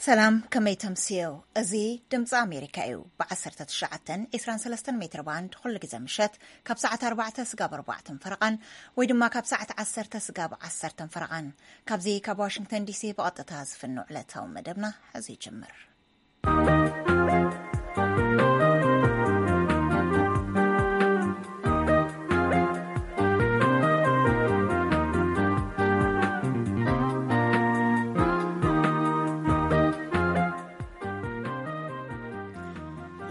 ሰላም፣ ከመይ ተምስዮ? እዚ ድምፂ ኣሜሪካ እዩ። ብ19 23 ሜትር ባንድ ኩሉ ግዜ ምሸት ካብ ሰዓት ኣርባዕተ ስጋብ ኣርባዕተን ፈረቓን ወይ ድማ ካብ ሰዓት ዓሰርተ ስጋብ ዓሰርተን ፈረቓን። ካብዚ ካብ ዋሽንግተን ዲሲ ብቐጥታ ዝፍኖ ዕለታዊ መደብና ሕዚ ይጅምር።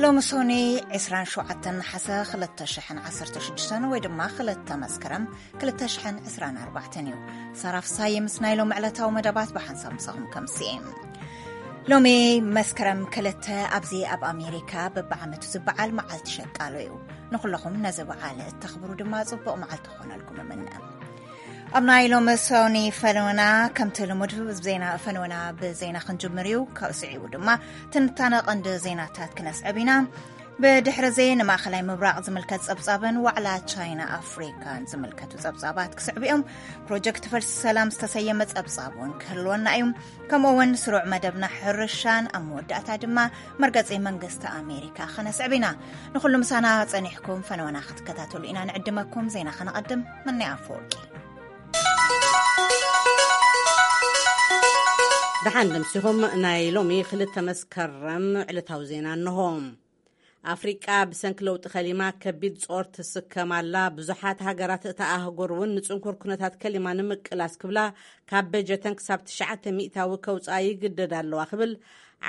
ሎሚ ሶኒ 27 ነሓሰ 2016 ወይ ድማ 2 መስከረም 2024 እዩ። ሳራ ፍሳይ ምስ ናይ ሎም ዕለታዊ መደባት ብሓንሳብ ምሳኹም ከምስኤ። ሎሚ መስከረም 2 ኣብዚ ኣብ ኣሜሪካ በብዓመቱ ዝበዓል መዓልቲ ሸቃሎ እዩ። ንኹለኹም ነዚ በዓል እተኽብሩ ድማ ጽቡቕ መዓልቲ ክኾነልኩም እምነ። ኣብ ናይ ሎም ሶኒ ፈነወና ከምቲ ልሙድ ዜና ፈነወና ብዜና ክንጅምር እዩ። ካብኡ ስዒቡ ድማ ትንታነ ቀንዲ ዜናታት ክነስዕብ ኢና። ብድሕሪ እዚ ንማእኸላይ ምብራቕ ዝምልከት ጸብጻብን ዋዕላ ቻይና ኣፍሪካን ዝምልከቱ ጸብጻባት ክስዕቡ እዮም። ፕሮጀክት ፈልሲ ሰላም ዝተሰየመ ጸብጻብ እውን ክህልወና እዩ። ከምኡ እውን ስሩዕ መደብና ሕርሻን ኣብ መወዳእታ ድማ መርገጺ መንግስቲ ኣሜሪካ ክነስዕብ ኢና። ንኹሉ ምሳና ጸኒሕኩም ፈነወና ክትከታተሉ ኢና ንዕድመኩም። ዜና ከነቐድም። መናይ ኣፈወርቂ። ደሓን ደምሲኹም። ናይ ሎሚ 2 መስከረም ዕለታዊ ዜና እንሆ። ኣፍሪቃ ብሰንኪ ለውጢ ከሊማ ከቢድ ጾር ትስከም ኣላ። ብዙሓት ሃገራት እታ ኣህጉር እውን ንጽንኩር ኩነታት ከሊማ ንምቅላስ ክብላ ካብ በጀተን ክሳብ ትሽዓተ ሚእታዊ ከውፅኣ ይግደድ ኣለዋ ክብል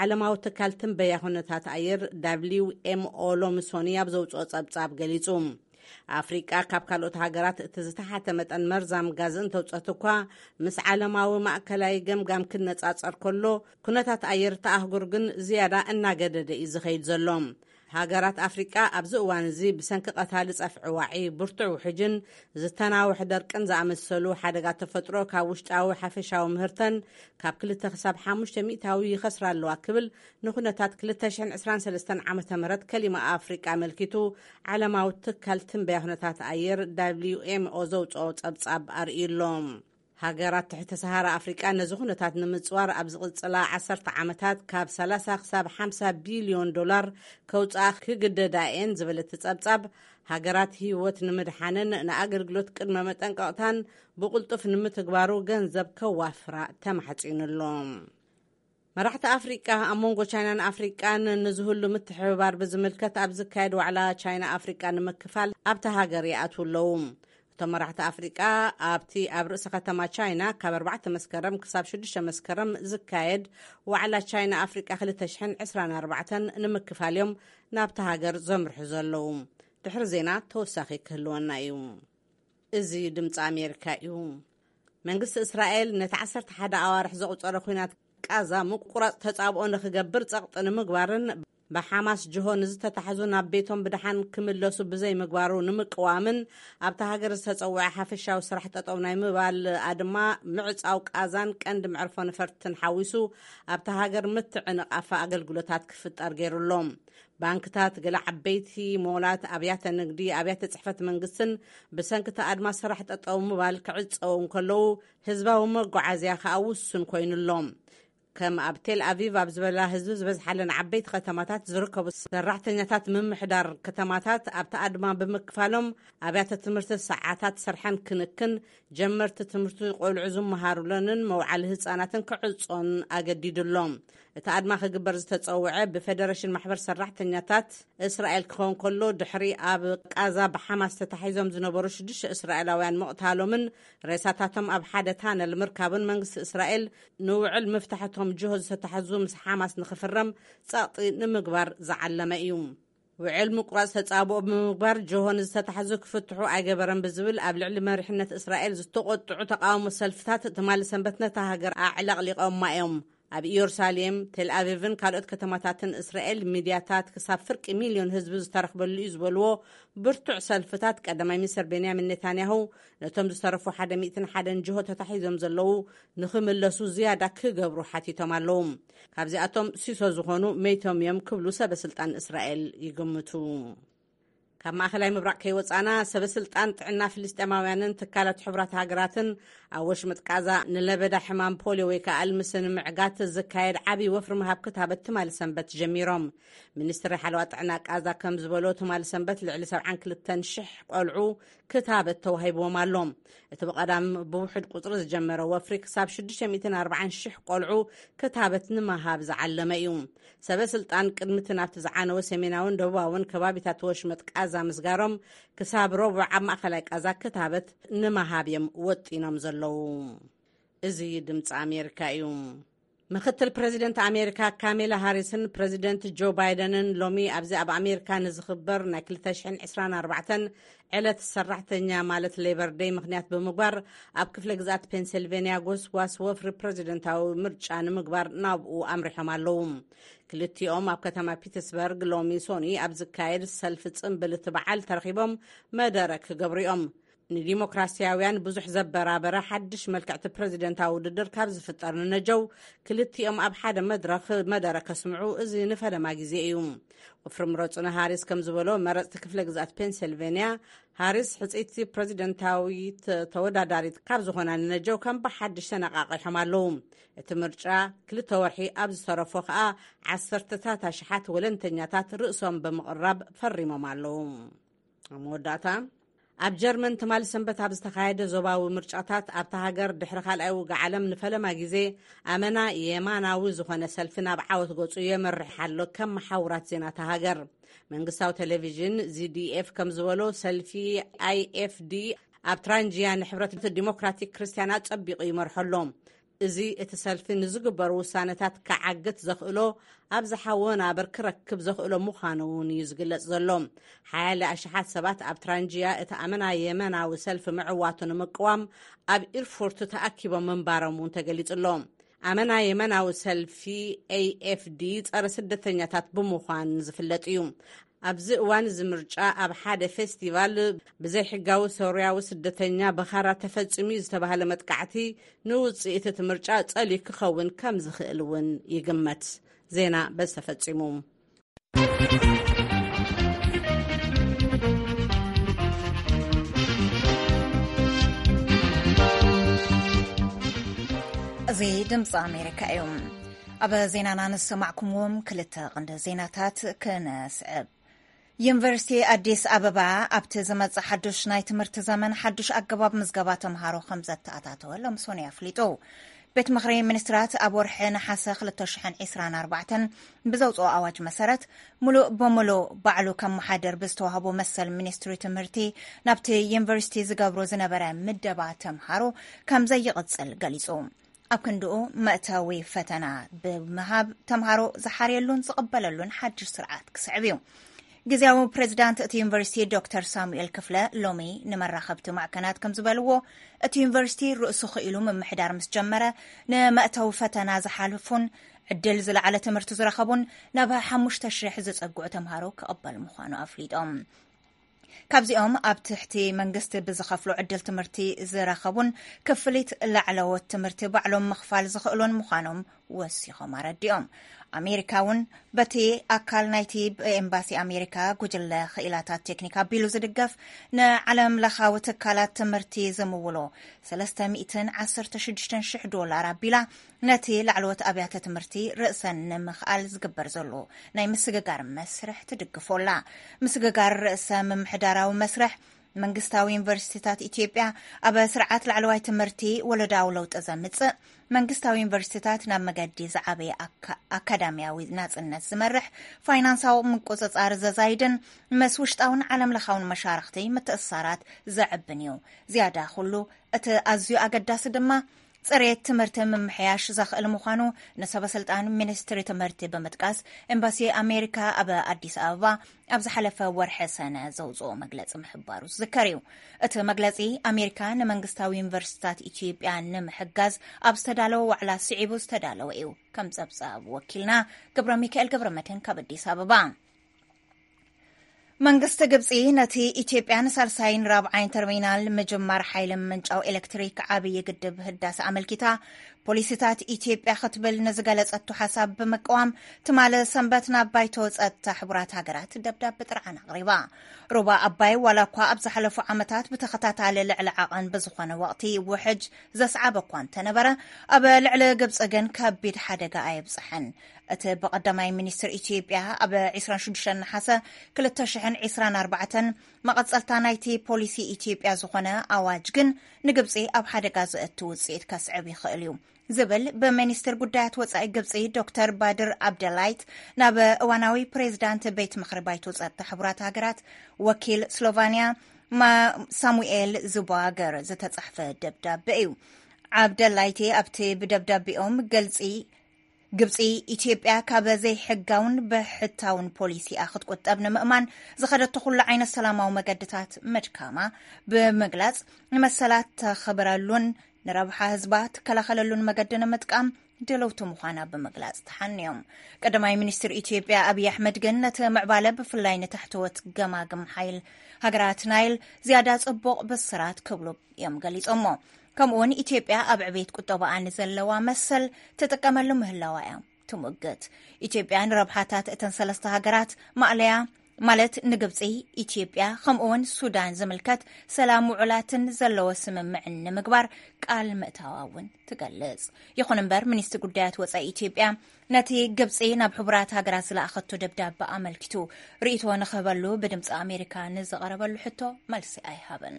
ዓለማዊ ትካል ትንበያ ኩነታት ኣየር ደብሊው ኤም ኦ ሎሚ ሶኒ ኣብ ዘውፅኦ ጸብጻብ ገሊጹ። ኣፍሪቃ ካብ ካልኦት ሃገራት እቲ ዝተሓተ መጠን መርዛም ጋዝ እንተውፀት እኳ፣ ምስ ዓለማዊ ማእከላይ ገምጋም ክነጻጸር ከሎ፣ ኩነታት ኣየር እታ ኣህጉር ግን ዝያዳ እናገደደ እዩ ዝኸይድ ዘሎ። ሃገራት ኣፍሪቃ ኣብዚ እዋን እዚ ብሰንኪ ቀታሊ ጸፍዒ ዋዒ፣ ብርቱዕ ውሕጅን ዝተናውሐ ደርቅን ዝኣመሰሉ ሓደጋ ተፈጥሮ ካብ ውሽጣዊ ሓፈሻዊ ምህርተን ካብ ክልተ ክሳብ ሓሙሽተ ሚእታዊ ይኸስራ ኣለዋ ክብል ንኩነታት 2023 ዓመተ ምህረት ከሊማ ኣፍሪቃ ኣመልኪቱ ዓለማዊ ትካል ትንበያ ኩነታት ኣየር ደብሊው ኤም ኦ ዘውፅኦ ጸብጻብ ኣርእዩ ኣሎ። ሃገራት ትሕቲ ሰሃራ ኣፍሪቃ ነዚ ኩነታት ንምጽዋር ኣብ ዝቕጽላ ዓሰርተ ዓመታት ካብ ሰላሳ ክሳብ ሓምሳ ቢልዮን ዶላር ከውጽኣ ክግደዳ እየን ዝብል እቲ ጸብጻብ፣ ሃገራት ህይወት ንምድሓንን ንኣገልግሎት ቅድመ መጠንቀቕታን ብቕልጡፍ ንምትግባሩ ገንዘብ ከዋፍራ ተማሕጺኑ ኣሎ። መራሕቲ ኣፍሪቃ ኣብ መንጎ ቻይናን ኣፍሪቃን ንዝህሉ ምትሕብባር ብዝምልከት ኣብ ዝካየድ ዋዕላ ቻይና ኣፍሪቃ ንምክፋል ኣብታ ሃገር ይኣትዉ ኣለዉ። እቶም መራሕቲ ኣፍሪቃ ኣብቲ ኣብ ርእሲ ከተማ ቻይና ካብ ኣርባዕተ መስከረም ክሳብ ሽዱሽተ መስከረም ዝካየድ ዋዕላ ቻይና ኣፍሪቃ 2024 ንምክፋል እዮም ናብታ ሃገር ዘምርሑ ዘለዉ። ድሕሪ ዜና ተወሳኺ ክህልወና እዩ። እዚ ድምፂ ኣሜሪካ እዩ። መንግስቲ እስራኤል ነቲ ዓሰርተ ሓደ ኣዋርሕ ዘቑጸረ ኲናት ቃዛ ምቁራጽ ተጻብኦ ንኽገብር ጸቕጢ ንምግባርን ብሓማስ ጅሆ ንዝተታሕዙ ናብ ቤቶም ብደሓን ክምለሱ ብዘይምግባሩ ንምቅዋምን ኣብታ ሃገር ዝተጸውዐ ሓፈሻዊ ስራሕ ጠጠው ናይ ምባል ኣድማ ምዕጻው ቃዛን ቀንዲ መዕርፎ ነፈርትን ሓዊሱ ኣብታ ሃገር ምትዕንቓፍ ኣገልግሎታት ክፍጠር ገይሩ ኣሎ። ባንክታት፣ ገለ ዓበይቲ ሞላት፣ ኣብያተ ንግዲ፣ ኣብያተ ጽሕፈት መንግስትን ብሰንኪ እቲ ኣድማ ስራሕ ጠጠው ምባል ክዕጸው እንከለዉ ህዝባዊ መጓዓዝያ ከኣ ውሱን ኮይኑ ኣሎ። ከም ኣብ ቴል ኣቪቭ ኣብ ዝበላ ህዝቢ ዝበዝሓለን ዓበይቲ ከተማታት ዝርከቡ ሰራሕተኛታት ምምሕዳር ከተማታት ኣብቲ ኣድማ ብምክፋሎም ኣብያተ ትምህርቲ ሰዓታት ስርሐን ክንክን ጀመርቲ ትምህርቲ ቆልዑ ዝመሃሩለንን መውዓሊ ህጻናትን ክዕጾን ኣገዲዱ ኣሎ። እቲ ኣድማ ክግበር ዝተጸውዐ ብፌደሬሽን ማሕበር ሰራሕተኛታት እስራኤል ክኸውን ከሎ፣ ድሕሪ ኣብ ቃዛ ብሓማስ ተታሒዞም ዝነበሩ ሽዱሽተ እስራኤላውያን ምቕታሎምን ሬሳታቶም ኣብ ሓደ ታነል ምርካቡን መንግስቲ እስራኤል ንውዕል ምፍታሕቶም ጅሆ ዝተታሕዙ ምስ ሓማስ ንኽፍረም ጸቕጢ ንምግባር ዝዓለመ እዩ። ውዕል ምቁራጽ ተጻብኦ ብምግባር ጆሆ ንዝተታሕዙ ክፍትሑ ኣይገበረን ብዝብል ኣብ ልዕሊ መሪሕነት እስራኤል ዝተቖጥዑ ተቃውሞ ሰልፍታት ትማሊ ሰንበት ነታ ሃገር ኣዕለቕሊቐማ እዮም። ኣብ ኢየሩሳሌም፣ ቴል ኣቪቭን ካልኦት ከተማታትን እስራኤል ሚድያታት ክሳብ ፍርቂ ሚልዮን ህዝቢ ዝተረኽበሉ እዩ ዝበልዎ ብርቱዕ ሰልፍታት ቀዳማይ ሚኒስትር ቤንያሚን ኔታንያሁ ነቶም ዝተረፉ ሓደ ሚእትን ሓደን ጅሆ ተታሒዞም ዘለዉ ንኽምለሱ ዝያዳ ክገብሩ ሓቲቶም ኣለዉ። ካብዚኣቶም ሲሶ ዝኾኑ መይቶም እዮም ክብሉ ሰበ ስልጣን እስራኤል ይግምቱ። ካብ ማእኸላይ ምብራቕ ከይወጻና፣ ሰበ ስልጣን ጥዕና ፍልስጤማውያንን ትካላት ሕቡራት ሃገራትን ኣብ ወሽመጥ ቃዛ ንለበዳ ሕማም ፖሊዮ ወይ ከዓ ኣልምሲ ንምዕጋት ዝካየድ ዓብዪ ወፍሪ ምሃብ ክታበት ትማሊ ሰንበት ጀሚሮም። ሚኒስትሪ ሓለዋ ጥዕና ቃዛ ከም ዝበሎ፣ ትማሊ ሰንበት ልዕሊ ሰብዓን ክልተን ሽሕ ቆልዑ ክታበት ተዋሂብዎም ኣሎ። እቲ ብቐዳም ብውሑድ ቁጽሪ ዝጀመረ ወፍሪ ክሳብ ሽዱሽተ ሚእትን ኣርባዓን ሽሕ ቆልዑ ክታበት ንምሃብ ዝዓለመ እዩ። ሰበ ስልጣን ቅድሚ እቲ ናብቲ ዝዓነወ ሰሜናውን ደቡባውን ከባቢታት ወሽመጥ ቃዛ ምስጋሮም፣ ክሳብ ረቡዕ ኣብ ማእኸላይ ቃዛ ክታበት ንምሃብ እዮም ወጢኖም ዘለዉ። እዚ ድምፂ ኣሜሪካ እዩ። ምክትል ፕረዚደንት ኣሜሪካ ካሜላ ሃሪስን ፕረዚደንት ጆ ባይደንን ሎሚ ኣብዚ ኣብ ኣሜሪካ ንዝኽበር ናይ ክልተ ሽሕን ዕስራን ኣርባዕተን ዕለት ሰራሕተኛ ማለት ሌበር ደይ ምኽንያት ብምግባር፣ ኣብ ክፍለ ግዝኣት ፔንሲልቬንያ ጎስጓስ ወፍሪ ፕረዚደንታዊ ምርጫ ንምግባር ናብኡ ኣምሪሖም ኣለዉ። ክልቲኦም ኣብ ከተማ ፒተስበርግ ሎሚ ሶኒ ኣብ ዝካየድ ሰልፊ ጽምብል እቲ በዓል ተረኺቦም መደረ ክገብሩ እዮም። ንዲሞክራሲያውያን ብዙሕ ዘበራበረ ሓድሽ መልክዕቲ ፕረዚደንታዊ ውድድር ካብ ዝፍጠር ንነጀው፣ ክልቲኦም ኣብ ሓደ መድረኽ መደረ ከስምዑ እዚ ንፈለማ ግዜ እዩ። ወፍሪ ምረጹ ንሃሪስ ከም ዝበሎ፣ መረጽቲ ክፍለ ግዝኣት ፔንሲልቬንያ፣ ሃሪስ ሕጽይቲ ፕረዚደንታዊት ተወዳዳሪት ካብ ዝኾና ንነጀው ከም ብሓድሽ ተነቓቒሖም ኣለዉ። እቲ ምርጫ ክልተ ወርሒ ኣብ ዝተረፎ ከኣ፣ ዓሰርተታት ኣሽሓት ወለንተኛታት ርእሶም ብምቕራብ ፈሪሞም ኣለዉ። ኣብ መወዳእታ፣ ኣብ ጀርመን ትማሊ ሰንበት ኣብ ዝተኻየደ ዞባዊ ምርጫታት፣ ኣብታ ሃገር ድሕሪ ካልኣይ ውግእ ዓለም ንፈለማ ግዜ ኣመና የማናዊ ዝኾነ ሰልፊ ናብ ዓወት ገጹ የመርሕ ኣሎ፣ ከም መሓውራት ዜና እታ ሃገር። መንግስታዊ ቴሌቪዥን ዚ ዲ ኤፍ ከም ዝበሎ፣ ሰልፊ ኣይ ኤፍ ዲ ኣብ ትራንጂያ ንሕብረት ዲሞክራቲክ ክርስትያን ኣጸቢቑ ይመርሖ ኣሎ። እዚ እቲ ሰልፊ ንዝግበሩ ውሳነታት ክዓግት ዘኽእሎ ኣብዝሓ ወናብር ክረክብ ዘኽእሎ ምዃኑ እውን እዩ ዝግለጽ ዘሎ። ሓያለ ኣሽሓት ሰባት ኣብ ትራንጂያ እቲ ኣመና የመናዊ ሰልፊ ምዕዋቱ ንምቅዋም ኣብ ኢርፉርት ተኣኪቦም ምንባሮም እውን ተገሊጹ ኣሎ። ኣመና የመናዊ ሰልፊ ኤ ኤፍ ዲ ጸረ ስደተኛታት ብምዃን ዝፍለጥ እዩ። ኣብዚ እዋን እዚ ምርጫ ኣብ ሓደ ፌስቲቫል ብዘይሕጋዊ ሶርያዊ ስደተኛ ብኻራ ተፈጺሙ እዩ ዝተባህለ መጥቃዕቲ ንውጽኢት እቲ ምርጫ ጸልዩ ክኸውን ከም ዝኽእል እውን ይግመት። ዜና በዚ ተፈጺሙ። እዚ ድምፂ ኣሜሪካ እዩ። ኣብ ዜናና ንሰማዕኩምዎም ክልተ ቀንዲ ዜናታት ክነስዕብ። ዩኒቨርሲቲ ኣዲስ ኣበባ ኣብቲ ዝመጽእ ሓዱሽ ናይ ትምህርቲ ዘመን ሓዱሽ ኣገባብ ምዝገባ ተምሃሮ ከም ዘተኣታተወ ሎም ሶኒ ኣፍሊጡ። ቤት ምኽሪ ሚኒስትራት ኣብ ወርሒ ነሓሰ ክልተ ሽሕን ዕስራን ኣርባዕተን ብዘውፅኦ ኣዋጅ መሰረት፣ ሙሉእ በሙሉእ ባዕሉ ከመሓድር ብዝተዋህቦ መሰል፣ ሚኒስትሪ ትምህርቲ ናብቲ ዩኒቨርሲቲ ዝገብሮ ዝነበረ ምደባ ተምሃሮ ከም ዘይቕጽል ገሊጹ። ኣብ ክንድኡ፣ መእተዊ ፈተና ብምሃብ ተምሃሮ ዝሓርየሉን ዝቕበለሉን ሓድሽ ስርዓት ክስዕብ እዩ። ግዜያዊ ፕሬዚዳንት እቲ ዩኒቨርሲቲ ዶክተር ሳሙኤል ክፍለ ሎሚ ንመራኸብቲ ማዕከናት ከም ዝበልዎ፣ እቲ ዩኒቨርሲቲ ርእሱ ክኢሉ ምምሕዳር ምስ ጀመረ፣ ንመእተዊ ፈተና ዝሓልፉን ዕድል ዝለዓለ ትምህርቲ ዝረኸቡን ናብ ሓሙሽተ ሽሕ ዝጸግዑ ተምሃሮ ክቕበል ምዃኑ ኣፍሊጦም። ካብዚኦም ኣብ ትሕቲ መንግስቲ ብዝኸፍሎ ዕድል ትምህርቲ ዝረኸቡን ክፍሊት ላዕለዎት ትምህርቲ ባዕሎም ምኽፋል ዝኽእሉን ምዃኖም ወሲኾም ኣረዲኦም። ኣሜሪካ እውን በቲ ኣካል ናይቲ ብኤምባሲ ኣሜሪካ ጉጅለ ክኢላታት ቴክኒክ ኣቢሉ ዝድገፍ ንዓለም ለኻዊ ትካላት ትምህርቲ ዝምውሎ ሰለስተ ሚእትን ዓሰርተ ሽዱሽተን ሽሕ ዶላር ኣቢላ ነቲ ላዕለዎት ኣብያተ ትምህርቲ ርእሰን ንምኽኣል ዝግበር ዘሎ ናይ ምስግጋር መስርሕ ትድግፎ ኣላ። ምስግጋር ርእሰ ምምሕዳራዊ መስርሕ መንግስታዊ ዩኒቨርሲቲታት ኢትዮጵያ ኣብ ስርዓት ላዕለዋይ ትምህርቲ ወለዳዊ ለውጢ ዘምጽእ፣ መንግስታዊ ዩኒቨርሲቲታት ናብ መገዲ ዝዓበየ ኣካ-፣ ኣካዳሚያዊ ናጽነት ዝመርሕ፣ ፋይናንሳዊ ምቁጽጻር ዘዛይድን ምስ ውሽጣውን ዓለም ለኻውን መሻርኽቲ ምትእስሳራት ዘዕብን እዩ። ዝያዳ ኩሉ፣ እቲ ኣዝዩ ኣገዳሲ ድማ፣ ጽሬት ትምህርቲ ምምሕያሽ ዘኽእል ምዃኑ ንሰበ ስልጣን ሚኒስትሪ ትምህርቲ ብምጥቃስ፣ ኤምባሲ ኣሜሪካ ኣብ ኣዲስ ኣበባ ኣብ ዝሓለፈ ወርሒ ሰነ ዘውጽኦ መግለጺ ምሕባሩ ዝዝከር እዩ። እቲ መግለጺ፣ ኣሜሪካ ንመንግስታዊ ዩኒቨርሲቲታት ኢትዮጵያ ንምሕጋዝ ኣብ ዝተዳለወ ዋዕላ ስዒቡ ዝተዳለወ እዩ። ከም ጸብጻብ ወኪልና ገብረ ሚካኤል ገብረ መድህን ካብ ኣዲስ ኣበባ። መንግስቲ ግብጺ ነቲ ኢትዮጵያ ንሳልሳይን ራብዓይን ተርሚናል ምጅማር ሓይሊ ምንጫው ኤሌክትሪክ ዓብዪ ግድብ ህዳሰ ኣመልኪታ ፖሊሲታት ኢትዮጵያ ክትብል ንዝገለጸቱ ሓሳብ ብምቅዋም፣ ትማሊ ሰንበት ናብ ባይቶ ጸጥታ ሕቡራት ሃገራት ደብዳቤ ጥርዓን ኣቕሪባ። ሩባ ኣባይ ዋላ እኳ ኣብ ዝሓለፉ ዓመታት ብተኸታታሊ ልዕሊ ዓቐን ብዝኾነ ወቕቲ ውሕጅ ዘስዓበ እኳ እንተነበረ፣ ኣብ ልዕሊ ግብጺ ግን ከቢድ ሓደጋ ኣየብጽሐን። እቲ ብቐዳማይ ሚኒስትር ኢትዮጵያ ኣብ ዕስራን ሽዱሽተን ነሓሰ ክልተ ሽሕን ዕስራን ኣርባዕተን መቐጸልታ ናይቲ ፖሊሲ ኢትዮጵያ ዝኾነ ኣዋጅ ግን ንግብጺ ኣብ ሓደጋ ዘእቱ ውጽኢት ከስዕብ ይኽእል እዩ ዝብል ብሚኒስትር ጉዳያት ወጻኢ ግብጺ ዶክተር ባድር ኣብደላይት ናብ እዋናዊ ፕሬዚዳንት ቤት ምኽሪ ባይቶ ጸጥታ ሕቡራት ሃገራት ወኪል ስሎቫንያ ማ-፣ ሳሙኤል ዙባገር ዝተጻሕፈ ደብዳቤ እዩ። ዓብደላይቴ ኣብቲ ብደብዳቤኦም ገልጺ ግብጺ፣ ኢትዮጵያ ካብ ዘይሕጋውን ብሕታውን ፖሊሲኣ ክትቁጠብ ንምእማን ዝኸደቶ ኩሉ ዓይነት ሰላማዊ መገድታት ምድካማ ብምግላጽ፣ ንመሰላት ተኽብረሉን ንረብሓ ህዝባ ትከላኸለሉን መገዲ ንምጥቃም ድልውቲ ምዃና ብምግላጽ ተሓንዮም። ቀዳማይ ሚኒስትር ኢትዮጵያ ኣብይ ኣሕመድ ግን ነቲ ምዕባለ ብፍላይ ንታሕተዎት ገማግም ሓይል ሃገራት ናይል ዝያዳ ጽቡቕ ብስራት ክብሉ እዮም ገሊጾሞ። ከምኡውን ኢትዮጵያ ኣብ ዕቤት ቁጠባኣ ንዘለዋ መሰል ትጥቀመሉ ምህላዋ እያ ትምግት። ኢትዮጵያ ንረብሓታት እተን ሰለስተ ሃገራት ማእለያ ማለት ንግብጺ፣ ኢትዮጵያ ከምኡውን ሱዳን ዝምልከት ሰላም ውዑላትን ዘለዎ ስምምዕን ንምግባር ቃል ምእታዋ እውን ትገልጽ። ይኹን እምበር ሚኒስትሪ ጉዳያት ወጻኢ ኢትዮጵያ ነቲ ግብጺ ናብ ሕቡራት ሃገራት ዝለኣኸቶ ደብዳበ ኣመልኪቱ ርእይቶ ንኽህበሉ ብድምፂ ኣሜሪካ ንዝቐረበሉ ሕቶ መልሲ ኣይሃበን።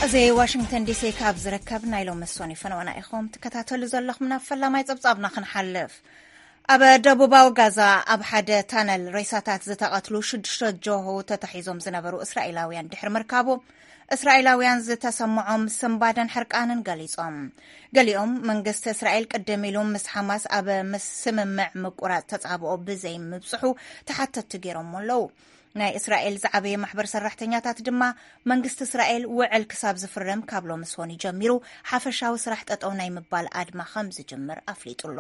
እዚ ዋሽንግተን ዲሲ ካብ ዝርከብ ናይ ሎሚ ሶኒ ፈነወና ኢኹም ትከታተሉ ዘለኹም። ናብ ፈላማይ ጸብጻብና ክንሓልፍ። ኣብ ደቡባዊ ጋዛ ኣብ ሓደ ታነል ሬሳታት ዝተቐትሉ ሽዱሽተ ጆሆ ተታሒዞም ዝነበሩ እስራኤላውያን ድሕሪ ምርካቡ፣ እስራኤላውያን ዝተሰምዖም ስንባደን ሕርቃንን ገሊጾም። ገሊኦም መንግስቲ እስራኤል ቅድም ኢሉ ምስ ሓማስ ኣብ ምስ ስምምዕ ምቁራጽ ተጻብኦ ብዘይ ምብጽሑ ተሓተትቲ ገይሮም ኣለዉ። ናይ እስራኤል ዝዓበየ ማሕበር ሰራሕተኛታት ድማ መንግስቲ እስራኤል ውዕል ክሳብ ዝፍረም ካብ ሎሚ ሶኒ ጀሚሩ ሓፈሻዊ ስራሕ ጠጠው ናይ ምባል ኣድማ ከም ዝጅምር ኣፍሊጡ ኣሎ።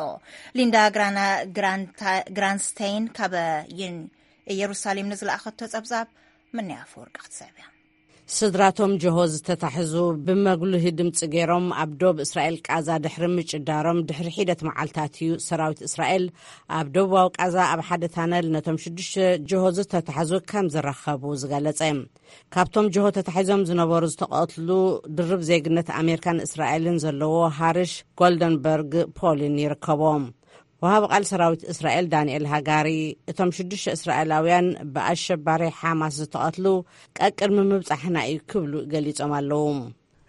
ሊንዳ ግራና-፣ ግራንታ-፣ ግራንስቴይን ካብ ዩን-፣ ኢየሩሳሌም ንዝለኣኸቶ ጸብጻብ ምንያ ኣፈወርቂ ክትስዕብ እያ። ስድራቶም ጆሆ ዝተታሕዙ ብመጉልሂ ድምፂ ገይሮም ኣብ ዶብ እስራኤል ቃዛ ድሕሪ ምጭዳሮም ድሕሪ ሒደት መዓልታት እዩ ሰራዊት እስራኤል ኣብ ደቡባዊ ቃዛ ኣብ ሓደ ታነል ነቶም ሽዱሽተ ጆሆ ዝተታሕዙ ከም ዝረኸቡ ዝገለጸ። ካብቶም ጆሆ ተታሒዞም ዝነበሩ ዝተቐትሉ ድርብ ዜግነት ኣሜሪካን እስራኤልን ዘለዎ ሃርሽ ጎልደንበርግ ፖሊን ይርከቦም። ወሃቢ ቃል ሰራዊት እስራኤል ዳንኤል ሃጋሪ፣ እቶም ሽዱሽተ እስራኤላውያን ብኣሸባሪ ሓማስ ዝተቐትሉ ቀቅድሚ ምብጻሕና እዩ ክብሉ ገሊጾም ኣለዉ።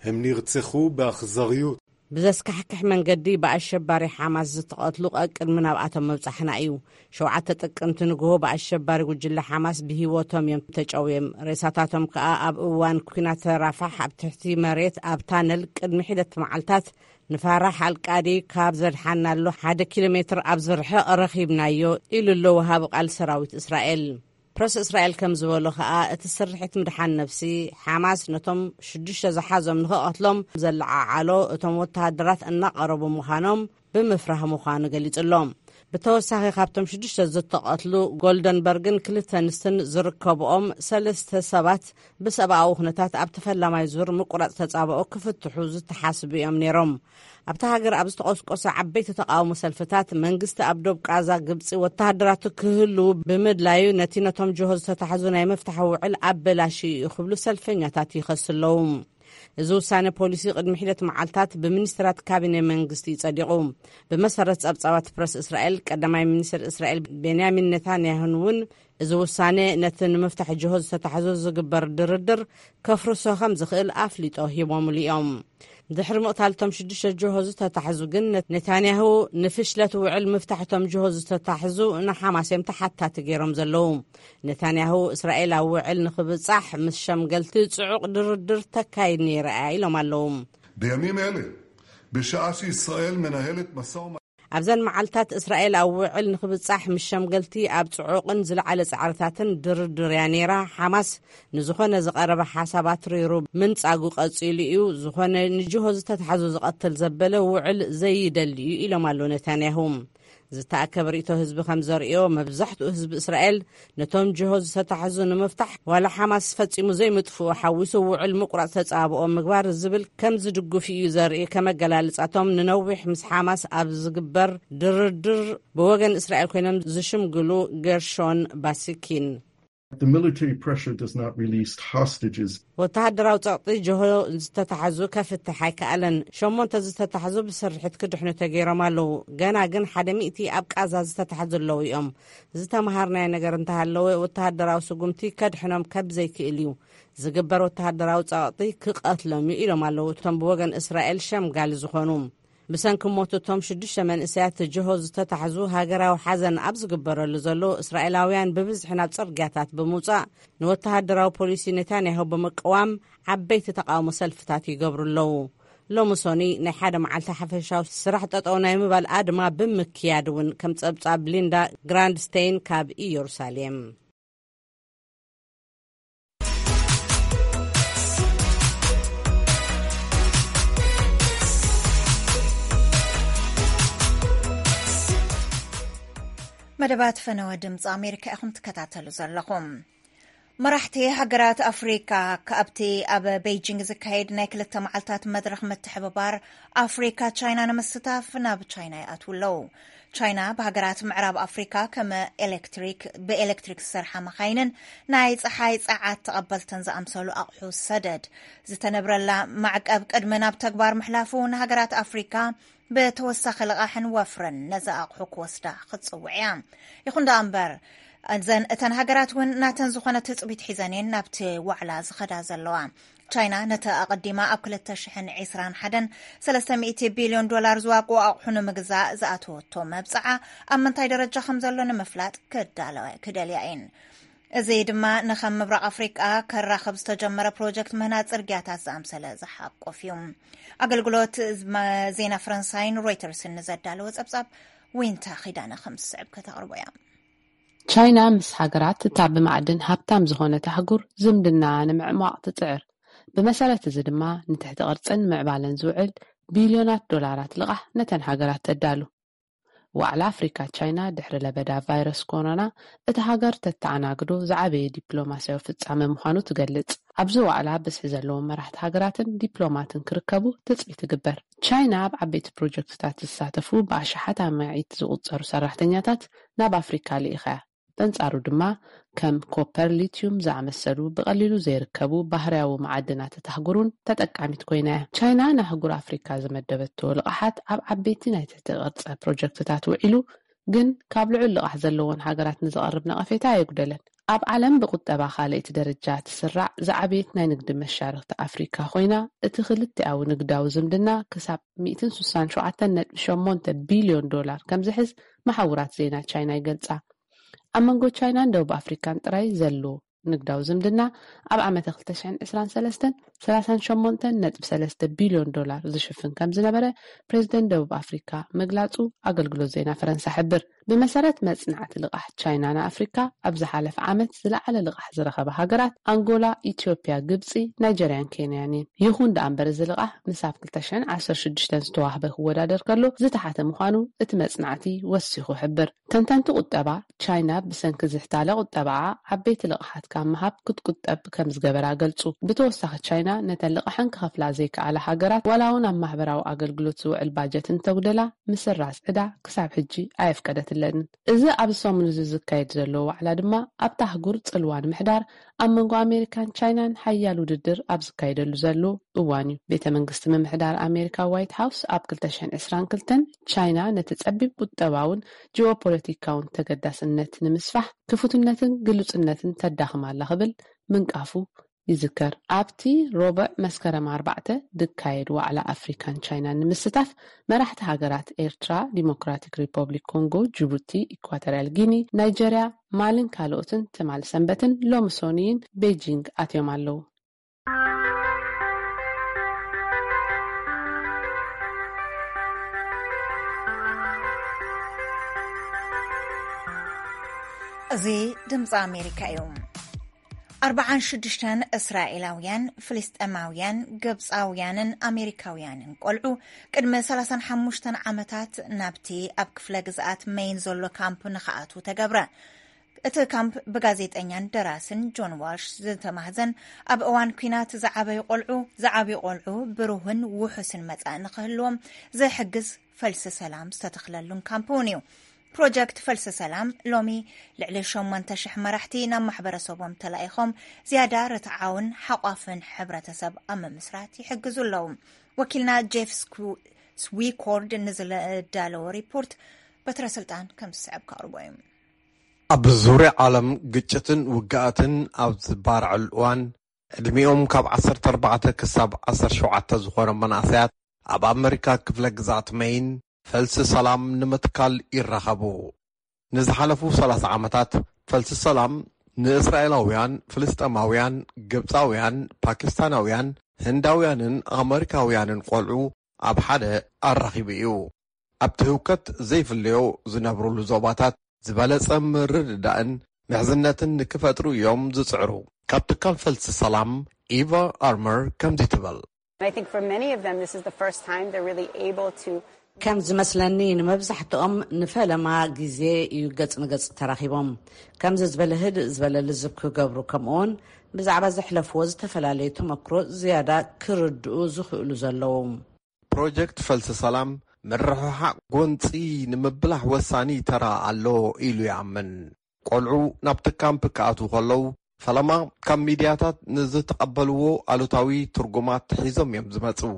הם נרצחו באכזריות። ብዘስካሕክሕ መንገዲ ብኣሸባሪ ሓማስ ዝተቐትሉ ቀቅድሚ ናብኣቶም ምብጻሕና እዩ። ሸውዓተ ጥቅምቲ ንግሆ ብኣሸባሪ ጉጅለ ሓማስ ብህይወቶም እዮም ተጨውዮም። ሬሳታቶም ከኣ ኣብ እዋን ኲናት ራፋሕ ኣብ ትሕቲ መሬት ኣብ ታነል ቅድሚ ሒደት መዓልታት ንፋራሕ ኣልቃዲ ካብ ዘድሓናሉ ሓደ ኪሎ ሜትር ኣብ ዝርሕቕ ረኺብናዮ ኢሉ ኣሎ ወሃቢ ቃል ሰራዊት እስራኤል። ፕረስ እስራኤል ከም ዝበሎ ከኣ እቲ ስርሒት ምድሓን ነፍሲ ሓማስ ነቶም ሽዱሽተ ዝሓዞም ንኽቐትሎም ዘለዓዓሎ እቶም ወተሃደራት እናቐረቡ ምዃኖም ብምፍራህ ምዃኑ ገሊጹ ኣሎ። ብተወሳኺ ካብቶም ሽዱሽተ ዝተቐትሉ ጎልደንበርግን ክልተ ኣንስትን ዝርከብኦም ሰለስተ ሰባት ብሰብኣዊ ኩነታት ኣብቲ ፈላማይ ዙር ምቁራጽ ተጻብኦ ክፍትሑ ዝተሓስቡ እዮም ነይሮም። ኣብታ ሃገር ኣብ ዝተቖስቆሰ ዓበይቲ ተቃውሞ ሰልፍታት መንግስቲ ኣብ ዶብ ቃዛ ግብጺ ወተሃደራቱ ክህልዉ ብምድላዩ ነቲ ነቶም ጆሆ ዝተታሕዙ ናይ ምፍታሕ ውዕል ኣበላሽዩ እዩ ክብሉ ሰልፈኛታት ይኸሱ ኣለዉ። እዚ ውሳነ ፖሊሲ ቅድሚ ሒደት መዓልታት ብሚኒስትራት ካቢነ መንግስቲ ጸዲቑ። ብመሰረት ጸብጻባት ፕረስ እስራኤል፣ ቀዳማይ ሚኒስትር እስራኤል ቤንያሚን ኔታንያሁን እውን እዚ ውሳነ ነቲ ንምፍታሕ ጅሆ ዝተታሕዞ ዝግበር ድርድር ከፍርሶ ከም ዝኽእል ኣፍሊጦ ሂቦምሉ እዮም። ድሕሪ ምቕታልቶም ሽዱሽተ ጅሆ ዝተታሕዙ ግን፣ ነ-፣ ኔታንያሁ ንፍሽለት ውዕል ምፍታሕቶም ጅሆ ዝተታሕዙ ንሓማስ እዮም ተሓታቲ ገይሮም ዘለዉ። ኔታንያሁ እስራኤል ኣብ ውዕል ንኽብጻሕ ምስ ሸምገልቲ ጽዑቕ ድርድር ተካይድ ነይራ እያ ኢሎም ኣለዉ። בימים אלה, בשעה שישראל מנהלת משא ומתן. ኣብዘን መዓልታት እስራኤል ኣብ ውዕል ንኽብጻሕ ምስ ሸምገልቲ ኣብ ጽዑቕን ዝለዓለ ጻዕርታትን ድርድር እያ ነይራ። ሓማስ ንዝኾነ ዝቐረበ ሓሳብ ኣትሪሩ ምንጻጉ ቀጺሉ እዩ። ዝኾነ ንጅሆ ዝተታሕዙ ዝቐትል ዘበለ ውዕል ዘይደሊ እዩ ኢሎም ኣለዉ ኔታንያሁ። ዝተኣከበ ርእቶ ህዝቢ ከም ዘርእዮ፣ መብዛሕትኡ ህዝቢ እስራኤል ነቶም ጅሆ ዝተታሕዙ ንምፍታሕ፣ ዋላ ሓማስ ፈጺሙ ዘይምጥፍኡ ሓዊሱ ውዕል ምቁራጽ ተጻብኦ ምግባር ዝብል ከም ዝድግፍ እዩ ዘርኢ። ከመገላልጻቶም፣ ንነዊሕ ምስ ሓማስ ኣብ ዝግበር ድርድር ብወገን እስራኤል ኮይኖም ዝሽምግሉ ገርሾን ባሲኪን። The military pressure does not release hostages. ወተሃደራዊ ጸቕጢ ጅሆ ዝተታሕዙ ከፍትሕ ኣይከኣለን። ሸሞንተ ዝተታሕዙ ብስርሒት ክድሕኑ ተገይሮም ኣለዉ። ገና ግን ሓደ ሚእቲ ኣብ ቃዛ ዝተታሕዙ ኣለዉ እዮም። ዝተምሃርናዮ ነገር እንተሃለወ፣ ወተሃደራዊ ስጉምቲ ከድሕኖም ከብ ዘይክእል እዩ። ዝግበር ወተሃደራዊ ጸቕጢ ክቐትሎም እዩ ኢሎም ኣለዉ እቶም ብወገን እስራኤል ሸምጋሊ ዝኾኑ። ብሰንኪ ሞት እቶም ሽዱሽተ መንእሰያት ጅሆ ዝተታሕዙ፣ ሃገራዊ ሓዘን ኣብ ዝግበረሉ ዘሎ፣ እስራኤላውያን ብብዝሒ ናብ ጽርግያታት ብምውጻእ፣ ንወተሃደራዊ ፖሊሲ ኔታንያሁ ብምቅዋም ዓበይቲ ተቃውሞ ሰልፍታት ይገብሩ ኣለዉ። ሎሚ ሶኒ ናይ ሓደ መዓልቲ ሓፈሻዊ ስራሕ ጠጠው ናይ ምባል ኣድማ ብምክያድ እውን፣ ከም ጸብጻብ ሊንዳ ግራንድስቴይን ካብ ኢየሩሳሌም። መደባት ፈነወ ድምፂ ኣሜሪካ ኢኹም ትከታተሉ ዘለኹም። መራሕቲ ሃገራት ኣፍሪካ ካብቲ ኣብ ቤይጂንግ ዝካየድ ናይ ክልተ መዓልታት መድረኽ ምትሕብባር ኣፍሪካ ቻይና ንምስታፍ ናብ ቻይና ይኣትዉ ኣለዉ። ቻይና ብሃገራት ምዕራብ ኣፍሪካ ከም ኤሌክትሪክ፣ ብኤሌክትሪክ ዝሰርሓ መኻይንን ናይ ፀሓይ ፀዓት ተቐበልትን ዝኣምሰሉ ኣቑሑ ሰደድ ዝተነብረላ ማዕቀብ ቅድሚ ናብ ተግባር ምሕላፉ፣ ንሃገራት ኣፍሪካ ብተወሳኺ ልቓሕን ወፍርን ነዚ ኣቑሑ ክወስዳ ክትፅውዕ እያ። ይኹን ደኣ እምበር፣ እዘን እተን ሃገራት እውን ናተን ዝኾነ ትፅቢት ሒዘን እየን ናብቲ ዋዕላ ዝኸዳ ዘለዋ። ቻይና ነቲ ኣቐዲማ ኣብ ክልተ ሽሕን ዕስራን ሓደን ሰለስተ ሚእቲ ቢልዮን ዶላር ዝዋግኡ ኣቑሑ ንምግዛእ ዝኣተወቶ መብፅዓ ኣብ ምንታይ ደረጃ ከም ዘሎ ንምፍላጥ ክዳለዋ ክደልያ እየን። እዚ ድማ ንኸም ምብራቕ ኣፍሪቃ ከራኽብ ዝተጀመረ ፕሮጀክት ምህናፅ ጽርግያታት ዝኣምሰለ ዝሓቁፍ እዩ። ኣገልግሎት መ-፣ ዜና ፈረንሳይን ሮይተርስን ንዘዳለወ ጸብጻብ ዊንታ ኺዳነ ከም ዝስዕብ ከተቕርቦ እያ። ቻይና ምስ ሃገራት እታ ብማዕድን ሃብታም ዝኾነት ኣህጉር ዝምድና ንምዕሟቕ ትጽዕር። ብመሰረት እዚ ድማ ንትሕቲ ቅርጽን ምዕባለን ዝውዕል ቢልዮናት ዶላራት ልቓሕ ነተን ሃገራት ተዳሉ። ዋዕላ ኣፍሪካ ቻይና ድሕሪ ለበዳ ቫይረስ ኮሮና እታ ሃገር ተተኣናግዶ ዝዓበየ ዲፕሎማስያዊ ፍጻመ ምዃኑ ትገልጽ። ኣብዚ ዋዕላ ብዝሒ ዘለዎም መራሕቲ ሃገራትን ዲፕሎማትን ክርከቡ ትጽቢት ትግበር። ቻይና ኣብ ዓበይቲ ፕሮጀክትታት ዝሳተፉ ብኣሽሓት ኣማኢት ዝቑጸሩ ሰራሕተኛታት ናብ ኣፍሪካ ልኢኻ እያ። በንጻሩ ድማ ከም ኮፐር፣ ሊትዩም ዝኣመሰሉ ብቐሊሉ ዘይርከቡ ባህርያዊ መዓድናት እታ ኣህጉር እውን ተጠቃሚት ኮይና እያ። ቻይና ንኣህጉር ኣፍሪካ ዝመደበቶ ልቓሓት ኣብ ዓበይቲ ናይ ትሕቲ ቅርጸ ፕሮጀክትታት ውዒሉ፣ ግን ካብ ልዑል ልቓሕ ዘለወን ሃገራት ንዝቐርብ ነቐፌታ ኣየጉደለን። ኣብ ዓለም ብቁጠባ ካልኣይቲ ደረጃ ትስራዕ ዝዓበየት ናይ ንግዲ መሻርኽቲ ኣፍሪካ ኮይና፣ እቲ ክልቲኣዊ ንግዳዊ ዝምድና ክሳብ ሚእትን ስሳን ሸውዓተን ነጥቢ ሸሞንተ ቢልዮን ዶላር ከም ዝሕዝ መሓውራት ዜና ቻይና ይገልጻ። ኣብ መንጎ ቻይናን ደቡብ ኣፍሪካን ጥራይ ዘሎ ንግዳዊ ዝምድና ኣብ ዓመተ ክልተ ሽሕን ዕስራን ሰለስተን ሰላሳን ሸሞንተን ነጥቢ ሰለስተ ቢልዮን ዶላር ዝሽፍን ከም ዝነበረ ፕሬዚደንት ደቡብ ኣፍሪካ ምግላጹ ኣገልግሎት ዜና ፈረንሳ ሕብር። ብመሰረት መጽናዕቲ ልቓሕ ቻይና ንኣፍሪካ፣ ኣብ ዝሓለፈ ዓመት ዝለዓለ ልቓሕ ዝረኸባ ሃገራት ኣንጎላ፣ ኢትዮጵያ፣ ግብጺ፣ ናይጀርያን ኬንያን እየን። ይኹን ደኣ እምበር፣ እዚ ልቓሕ ምስ ኣብ ክልተ ሽሕን ዓሰርተ ሽዱሽተን ዝተዋህበ ክወዳደር ከሎ ዝተሓተ ምዃኑ እቲ መጽናዕቲ ወሲኹ ሕብር። ተንተንቲ ቁጠባ፣ ቻይና ብሰንኪ ዝሕታለ ቁጠባኣ ዓበይቲ ልቕሓት ካብ ምሃብ ክትቁጠብ ከም ዝገበራ ገልጹ። ብተወሳኺ፣ ቻይና ነተን ልቕሐን ክኸፍላ ዘይከኣላ ሃገራት፣ ዋላ እውን ኣብ ማሕበራዊ ኣገልግሎት ዝውዕል ባጀት እንተጉደላ፣ ምስራዝ ዕዳ ክሳብ ሕጂ ኣየፍቀደትለንን። እዚ ኣብዚ ሰሙን እዚ ዝካየድ ዘሎ ዋዕላ ድማ ኣብታ ኣህጉር ጽልዋ ንምሕዳር ኣብ መንጎ ኣሜሪካን ቻይናን ሓያል ውድድር ኣብ ዝካየደሉ ዘሎ እዋን እዩ። ቤተ መንግስቲ ምምሕዳር ኣሜሪካ ዋይት ሃውስ ኣብ ክልተ ሽሕን ዕስራን ክልተን ቻይና ነቲ ጸቢብ ቁጠባውን ጂኦፖለቲካውን ተገዳስነት ንምስፋሕ ክፉትነትን ግሉጽነትን ተዳኽም ኣላ ክብል ምንቃፉ ይዝከር። ኣብቲ ረቡዕ መስከረም ኣርባዕተ ዝካየድ ዋዕላ ኣፍሪካን ቻይናን ንምስታፍ መራሕቲ ሃገራት ኤርትራ፣ ዲሞክራቲክ ሪፐብሊክ ኮንጎ፣ ጅቡቲ፣ ኢኳቶርያል ጊኒ፣ ናይጀርያ፣ ማልን ካልኦትን ትማል ሰንበትን ሎሚ ሶኒይን ቤጂንግ ኣትዮም ኣለዉ። እዚ ድምፂ ኣሜሪካ እዩ። ኣርባዓን ሽዱሽተን እስራኤላውያን፣ ፍልስጤማውያን፣ ግብጻውያንን ኣሜሪካውያንን ቆልዑ ቅድሚ ሰላሳን ሓሙሽተን ዓመታት ናብቲ ኣብ ክፍለ ግዝኣት መይን ዘሎ ካምፕ ንኽኣትዉ ተገብረ። እቲ ካምፕ ብጋዜጠኛን ደራስን ጆን ዋልሽ ዝተማህዘን፣ ኣብ እዋን ኲናት ዝዓበዩ ቆልዑ፣ ዝዓብዩ ቆልዑ ብሩህን ውሑስን መጻኢ ንኽህልዎም ዝሕግዝ ፈልሲ ሰላም ዝተተኽለሉን ካምፕ እውን እዩ። ፕሮጀክት ፈልሲ ሰላም ሎሚ ልዕሊ ሸሞንተ ሽሕ መራሕቲ ናብ ማሕበረሰቦም ተላኢኾም ዝያዳ ርትዓውን ሓቋፍን ሕብረተሰብ ኣብ ምምስራት ይሕግዙ ኣለዉ። ወኪልና ጄፍ ስኩ-፣ ስዊኮርድ ንዝዳለዎ ሪፖርት በትረ ስልጣን ከም ዝስዕብ ከቕርቦ እዩ። ኣብ ዙርያ ዓለም ግጭትን ውግኣትን ኣብ ዝባርዐሉ እዋን፣ ዕድሚኦም ካብ ዓሰርተ ኣርባዕተ ክሳብ ዓሰርተ ሸውዓተ ዝኾነ መናእሰያት ኣብ ኣመሪካ ክፍለ ግዝኣት መይን ፈልሲ ሰላም ንምትካል ይራኸቡ። ንዝሓለፉ ሰላሳ ዓመታት ፈልሲ ሰላም ንእስራኤላውያን፣ ፍልስጤማውያን፣ ግብጻውያን፣ ፓኪስታናውያን፣ ህንዳውያንን ኣመሪካውያንን ቆልዑ ኣብ ሓደ ኣራኺቡ እዩ። ኣብቲ ህውከት ዘይፍለዮ ዝነብሩሉ ዞባታት ዝበለጸ ምርድዳእን ምሕዝነትን ንክፈጥሩ እዮም ዝጽዕሩ። ካብ ትካል ፈልሲ ሰላም ኢቫ ኣርመር ከምዚ ትብል። I think for many of them, this is the first time they're really able to ከም ዝመስለኒ፣ ንመብዛሕትኦም ንፈለማ ግዜ እዩ ገጽ ንገጽ ተራኺቦም ከምዚ ዝበለ ህድእ ዝበለ ልዝብ ክገብሩ፣ ከምኡውን ብዛዕባ ዘሕለፍዎ ዝተፈላለዩ ተመክሮ ዝያዳ ክርድኡ ዝኽእሉ ዘለዉ። ፕሮጀክት ፈልሲ ሰላም ምርሕሓቕ ጎንጺ ንምብላሕ ወሳኒ ተራ ኣሎ ኢሉ ይኣምን። ቆልዑ ናብቲ ካምፕ ክኣትዉ ከለዉ፣ ፈለማ ካብ ሚድያታት ንዝተቐበልዎ ኣሉታዊ ትርጉማት ሒዞም እዮም ዝመጽኡ።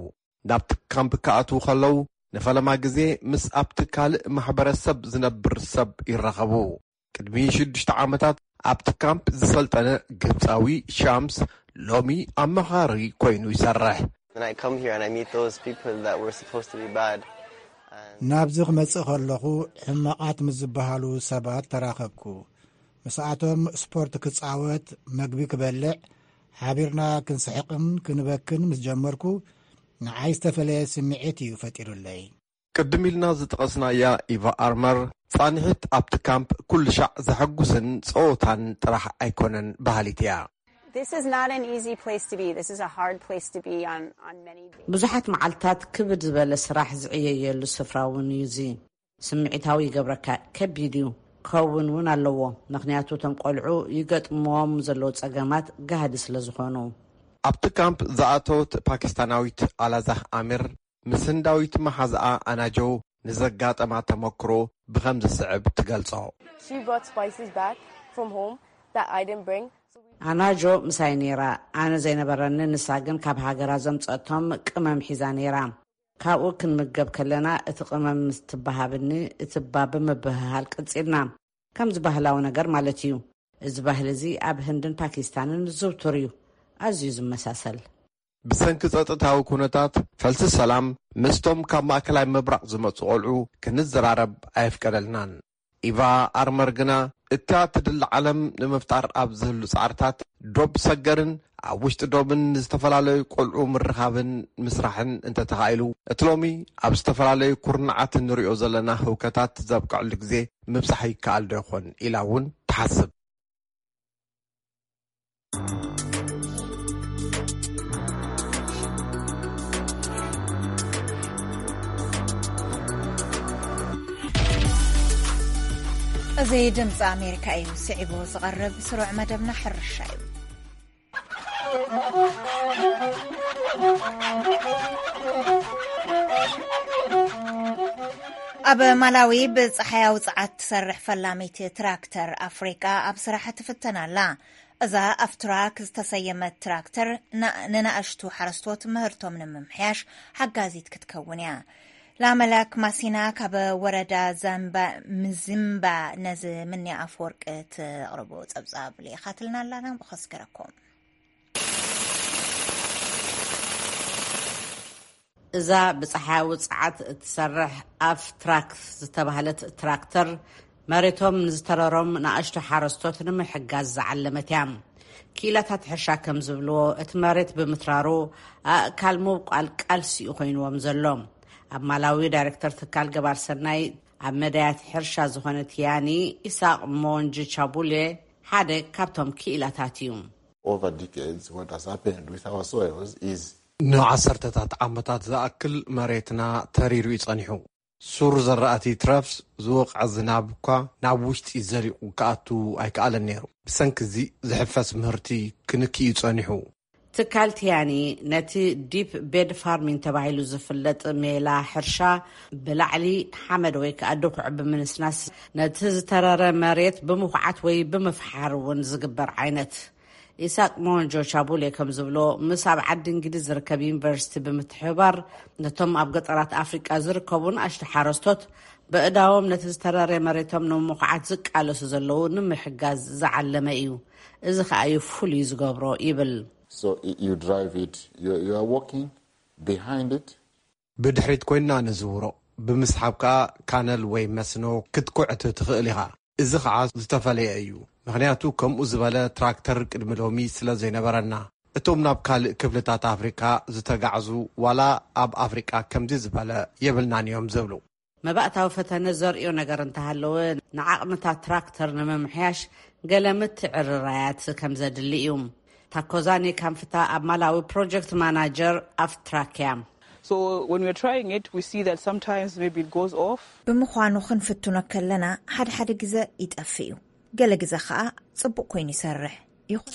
ናብቲ ካምፕ ክኣትዉ ከለዉ፣ ንፈለማ ግዜ ምስ ኣብቲ ካልእ ማሕበረሰብ ዝነብር ሰብ ይራኸቡ። ቅድሚ ሽዱሽተ ዓመታት ኣብቲ ካምፕ ዝሰልጠነ ግብጻዊ ሻምስ ሎሚ ኣመኻሪ ኮይኑ ይሰርሕ። When I come here and I meet those people that were supposed to be bad, and ናብዚ ክመጽእ ከለኹ፣ ሕማቓት ምስ ዝበሃሉ ሰባት ተራኸብኩ። ምስኣቶም ስፖርት ክጻወት፣ መግቢ ክበልዕ፣ ሓቢርና ክንስሕቕን ክንበክን ምስ ጀመርኩ፣ ንዓይ ዝተፈለየ ስምዒት እዩ ፈጢሩለይ። ቅድም ኢልና ዝጠቐስናያ ኢቫ ኣርመር፣ ጻንሒት ኣብቲ ካምፕ ኩሉ ሻዕ ዘሐጉስን ጸወታን ጥራሕ ኣይኮነን በሃሊት እያ። This is not an easy place to be. This is a hard place to be on, on many days. ብዙሓት መዓልታት ክብድ ዝበለ ስራሕ ዝዕየየሉ ስፍራ እውን እዩ እዚ። ስምዒታዊ ይገብረካ፣ ከቢድ እዩ። ከውን እውን ኣለዎ፣ ምኽንያቱ እቶም ቆልዑ ይገጥምዎም ዘለዉ ጸገማት ጋህዲ ስለ ዝኾኑ። ኣብቲ ካምፕ ዝኣተወት ፓኪስታናዊት ኣላዛህ ኣሚር፣ ምስ ህንዳዊት መሓዝኣ ኣናጆ ንዘጋጠማ ተመክሮ ብኸም ዝስዕብ ትገልጾ። She brought spices back from home that I didn't bring. ኣናጆ ምሳይ ነይራ፣ ኣነ ዘይነበረኒ፣ ንሳ ግን ካብ ሃገራ ዘምጸቶም ቅመም ሒዛ ነይራ። ካብኡ ክንምገብ ከለና፣ እቲ ቅመም ምስ ትበሃብኒ፣ እቲ ባ ብምብህሃል ቀጺልና። ከምዚ ባህላዊ ነገር ማለት እዩ። እዚ ባህሊ እዚ ኣብ ህንድን ፓኪስታንን ዝዝውቱር እዩ። ኣዝዩ ዝመሳሰል። ብሰንኪ ጸጥታዊ ኩነታት፣ ፈልሲ ሰላም ምስቶም ካብ ማእከላይ ምብራቕ ዝመጹ ቆልዑ ክንዘራረብ ኣየፍቀደልናን። ኢቫ ኣርመር ግና፣ እታ ትድለ ዓለም ንምፍጣር ኣብ ዝህሉ ጻዕርታት፣ ዶብ ሰገርን ኣብ ውሽጢ ዶብን ዝተፈላለዩ ቆልዑ ምርኻብን ምስራሕን እንተተኻኢሉ፣ እቲ ሎሚ ኣብ ዝተፈላለዩ ኩርናዓት እንሪኦ ዘለና ህውከታት ዘብቅዐሉ ግዜ ምብጻሕ ይከኣል ዶ ይኾን ኢላ እውን ትሓስብ። እዚ ድምፂ ኣሜሪካ እዩ። ስዒቡ ዝቐርብ ስሩዕ መደብና ሕርሻ እዩ። ኣብ ማላዊ ብጸሓያዊ ጸዓት ትሰርሕ ፈላሚት ትራክተር ኣፍሪቃ ኣብ ስራሕ ትፍተን ኣላ። እዛ ኣፍትራክ ዝተሰየመት ትራክተር ና-፣ ንናእሽቱ ሓረስቶት ምህርቶም ንምምሕያሽ ሓጋዚት ክትከውን እያ። ላመላክ ማሲና ካብ ወረዳ ዛምባ ምዝምባ ነዚ ምንያ ኣፈወርቂ ትቕርቦ ጸብጻብ ልኢኻትልና ኣላ፣ ናብኡ ከስግረኩም። እዛ ብጸሓያዊ ጸዓት እትሰርሕ ኣፍ ትራክ ዝተባህለት ትራክተር፣ መሬቶም ንዝተረሮም ንኣሽቱ ሓረስቶት ንምሕጋዝ ዝዓለመት እያ። ክኢላታት ሕርሻ ከም ዝብልዎ፣ እቲ መሬት ብምትራሩ ኣእካል ምብቋል ቃልሲ እዩ ኮይንዎም ዘሎ። ኣብ ማላዊ ዳይሬክተር ትካል ገባር ሰናይ ኣብ መዳያት ሕርሻ ዝኾነ ቲያኒ ኢሳቅ ሞንጂ ቻቡሌ ሓደ ካብቶም ክኢላታት እዩ። over decades, what has happened with our soils is ንዓሰርተታት ዓመታት ዝኣክል መሬትና ተሪሩ እዩ ጸኒሑ። ሱር ዘራእቲ ትረፍስ ዝወቕዐ ዝናብ እኳ ናብ ውሽጢ ዘሊቑ ክኣቱ ኣይከኣለን ነይሩ። ብሰንኪ እዚ ዝሕፈስ ምህርቲ ክንክእ እዩ ጸኒሑ። ትካል ቲያኒ ነቲ ዲፕ ቤድ ፋርሚንግ ተባሂሉ ዝፍለጥ ሜላ ሕርሻ ብላዕሊ ሓመድ ወይ ከዓ ድኩዕ ብምንስናስ ነቲ ዝተረረ መሬት ብምኹዓት ወይ ብምፍሓር እውን ዝግበር ዓይነት ኢሳቅ ሞንጆ ቻቡሌ ከም ዝብሎ ምስ ኣብ ዓዲ እንግሊዝ ዝርከብ ዩኒቨርሲቲ ብምትሕብባር ነቶም ኣብ ገጠራት ኣፍሪቃ ዝርከቡ ንኣሽቱ ሓረስቶት በእዳዎም ነቲ ዝተረረ መሬቶም ንምኹዓት ዝቃለሱ ዘለዉ ንምሕጋዝ ዝዓለመ እዩ። እዚ ከኣ እዩ ፍሉይ ዝገብሮ ይብል። So you drive it, you, you are walking behind it. ብድሕሪት ኮይንና ንዝውሮ፣ ብምስሓብ ከኣ ካነል ወይ መስኖ ክትኩዕት ትኽእል ኢኻ። እዚ ኸዓ ዝተፈለየ እዩ፣ ምኽንያቱ ከምኡ ዝበለ ትራክተር ቅድሚ ሎሚ ስለ ዘይነበረና። እቶም ናብ ካልእ ክፍልታት ኣፍሪካ ዝተጋዕዙ ዋላ ኣብ ኣፍሪቃ ከምዚ ዝበለ የብልናን እዮም ዝብሉ። መባእታዊ ፈተነ ዘርእዮ ነገር እንተሃለወ ንዓቕምታት ትራክተር ንምምሕያሽ ገለ ምትዕርራያት ከም ዘድሊ እዩ። ታኮዛኒ ካንፍታ ኣብ ማላዊ ፕሮጀክት ማናጀር ኣፍትራክ እያ። So when we're trying it, we see that sometimes maybe it goes off. ብምዃኑ ክንፍትኖ ከለና ሓደ ሓደ ግዘ ይጠፍእ እዩ፣ ገለ ግዘ ከዓ ፅቡቅ ኮይኑ ይሰርሕ። ይኹን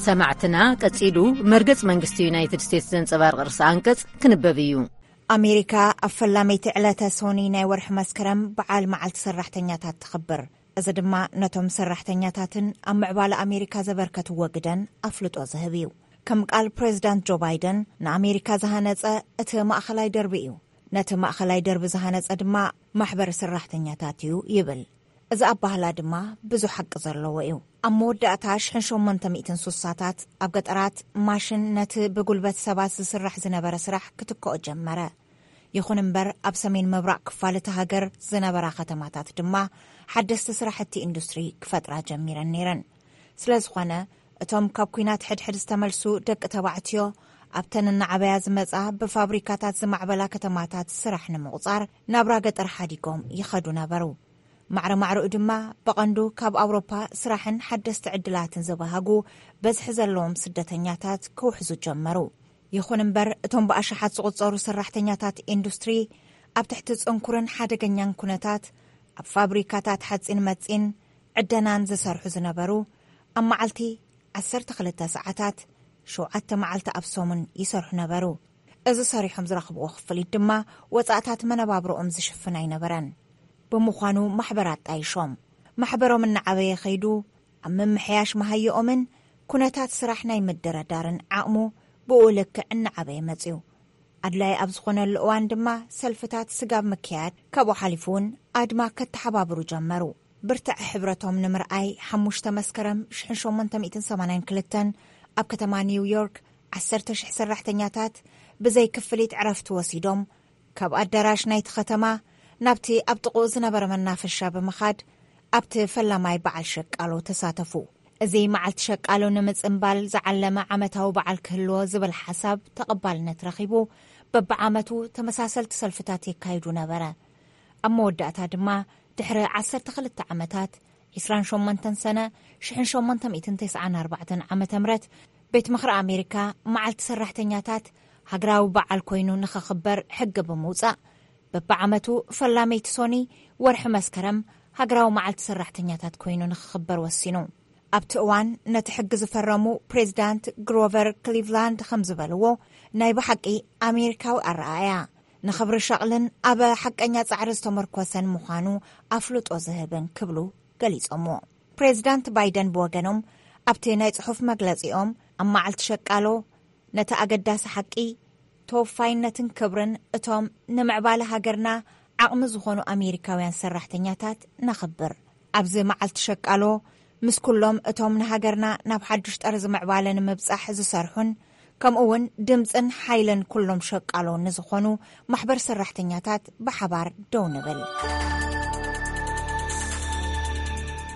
ሰማዕትና፣ ቀጺሉ መርገጽ መንግስቲ ዩናይትድ ስቴትስ ዘንጸባርቕ ርእሰ ኣንቀጽ ክንበብ እዩ። ኣሜሪካ ኣብ ፈላመይቲ ዕለተ ሶኒ ናይ ወርሒ መስከረም በዓል መዓልቲ ሰራሕተኛታት ትኽብር። እዚ ድማ ነቶም ሰራሕተኛታትን ኣብ ምዕባለ ኣሜሪካ ዘበርከትዎ ግደን ኣፍልጦ ዝህብ እዩ። ከም ቃል ፕሬዚዳንት ጆ ባይደን፣ ንኣሜሪካ ዝሃነጸ እቲ ማእኸላይ ደርቢ እዩ፣ ነቲ ማእኸላይ ደርቢ ዝሃነጸ ድማ ማሕበር ሰራሕተኛታት እዩ ይብል። እዚ ኣባህላ ድማ ብዙሕ ሓቂ ዘለዎ እዩ። ኣብ መወዳእታ ሽሕን ሸሞንተ ሚእትን ሱሳታት ኣብ ገጠራት ማሽን ነቲ ብጉልበት ሰባት ዝስራሕ ዝነበረ ስራሕ ክትክኦ ጀመረ። ይኹን እምበር ኣብ ሰሜን ምብራቕ ክፋል እቲ ሃገር ዝነበራ ከተማታት ድማ ሓደስቲ ስራሕቲ ኢንዱስትሪ ክፈጥራ ጀሚረን ነይረን። ስለ ዝኾነ እቶም ካብ ኲናት ሕድሕድ ዝተመልሱ ደቂ ተባዕትዮ ኣብተን እናዓበያ ዝመጻ ብፋብሪካታት ዝማዕበላ ከተማታት ስራሕ ንምቑጻር ናብራ ገጠር ሓዲጎም ይኸዱ ነበሩ። ማዕረ ማዕረኡ ድማ ብቐንዱ ካብ ኣውሮፓ ስራሕን ሓደስቲ ዕድላትን ዝበሃጉ በዝሒ ዘለዎም ስደተኛታት ክውሕዙ ጀመሩ። ይኹን እምበር እቶም ብኣሽሓት ዝቑጸሩ ሰራሕተኛታት ኢንዱስትሪ ኣብ ትሕቲ ጽንኩርን ሓደገኛን ኩነታት ኣብ ፋብሪካታት ሓጺን መጺን ዕደናን ዝሰርሑ ዝነበሩ ኣብ መዓልቲ ዓሰርተ ክልተ ሰዓታት ሸውዓተ መዓልቲ ኣብ ሰሙን ይሰርሑ ነበሩ። እዚ ሰሪሖም ዝረኽብዎ ክፍሊት ድማ ወጻእታት መነባብሮኦም ዝሽፍን ኣይነበረን። ብምዃኑ ማሕበር ኣጣይሾም። ማሕበሮም እናዓበየ ከይዱ ኣብ ምምሕያሽ መሃይኦምን ኩነታት ስራሕ ናይ ምድረዳርን ዓቕሙ ብኡ ልክዕ እናዓበየ መጽዩ። ኣድላይ ኣብ ዝኾነሉ እዋን ድማ ሰልፍታት ስጋብ ምክያድ ካብኡ ሓሊፉ እውን ኣድማ ከተሓባብሩ ጀመሩ። ብርትዐ ሕብረቶም ንምርኣይ ሓሙሽተ መስከረም ሽሕን ሸሞንተ ሚእትን ሰማንያን ክልተን ኣብ ከተማ ኒው ዮርክ ዓሰርተ ሽሕ ሰራሕተኛታት ብዘይ ክፍሊት ዕረፍቲ ወሲዶም ካብ ኣዳራሽ ናይቲ ከተማ ናብቲ ኣብ ጥቕኡ ዝነበረ መናፈሻ ብምኻድ ኣብቲ ፈላማይ በዓል ሸቃሎ ተሳተፉ። እዚ መዓልቲ ሸቃሎ ንምጽንባል ዝዓለመ ዓመታዊ በዓል ክህልዎ ዝብል ሓሳብ ተቐባልነት ረኺቡ በብዓመቱ ተመሳሰልቲ ሰልፍታት የካይዱ ነበረ። ኣብ መወዳእታ ድማ ድሕሪ ዓሰርተ ክልተ ዓመታት ዕስራን ሸሞንተን ሰነ ሽሕን ሸሞንተ ሚእትን ተስዓን ኣርባዕተን ዓመተ ምህረት ቤት ምኽሪ ኣሜሪካ መዓልቲ ሰራሕተኛታት ሃገራዊ በዓል ኮይኑ ንኸኽበር ሕጊ ብምውጻእ በብዓመቱ ፈላመይቲ ሶኒ ወርሒ መስከረም ሃገራዊ መዓልቲ ሰራሕተኛታት ኮይኑ ንኽኽበር ወሲኑ። ኣብቲ እዋን ነቲ ሕጊ ዝፈረሙ ፕሬዚዳንት ግሮቨር ክሊቭላንድ ከም ዝበልዎ ናይ ብሓቂ ኣሜሪካዊ ኣረኣእያ ንኽብሪ ሸቕልን ኣብ ሓቀኛ ጻዕሪ ዝተመርኮሰን ምዃኑ ኣፍልጦ ዝህብን ክብሉ ገሊጾምዎ። ፕሬዚዳንት ባይደን ብወገኖም ኣብቲ ናይ ጽሑፍ መግለጺኦም ኣብ መዓልቲ ሸቃሎ ነቲ ኣገዳሲ ሓቂ ተወፋይነትን ክብርን እቶም ንምዕባለ ሃገርና ዓቕሚ ዝኾኑ ኣሜሪካውያን ሰራሕተኛታት ነኽብር። ኣብዚ መዓልቲ ሸቃሎ ምስ ኩሎም እቶም ንሃገርና ናብ ሓዱሽ ጠርዚ ምዕባለ ንምብጻሕ ዝሰርሑን ከምኡ እውን ድምፅን ሓይልን ኩሎም ሸቃሎ ንዝኾኑ ማሕበር ሰራሕተኛታት ብሓባር ደው ንብል።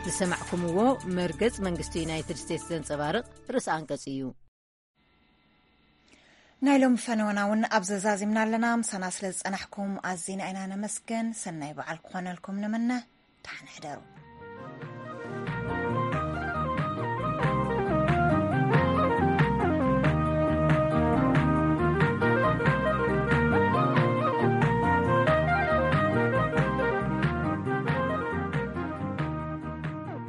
ዝሰማዕኩምዎ መርገጽ መንግስቲ ዩናይትድ ስቴትስ ዘንጸባርቕ ርእሲ ኣንቀጽ እዩ። ናይ ሎሚ ፈነወና እውን ኣብ ዘዛዚምና ኣለና። ምሳና ስለ ዝጸናሕኩም ኣዚና ኢና ነመስገን። ሰናይ በዓል ክኾነልኩም ንምነ። ደሓን ሕደሩ።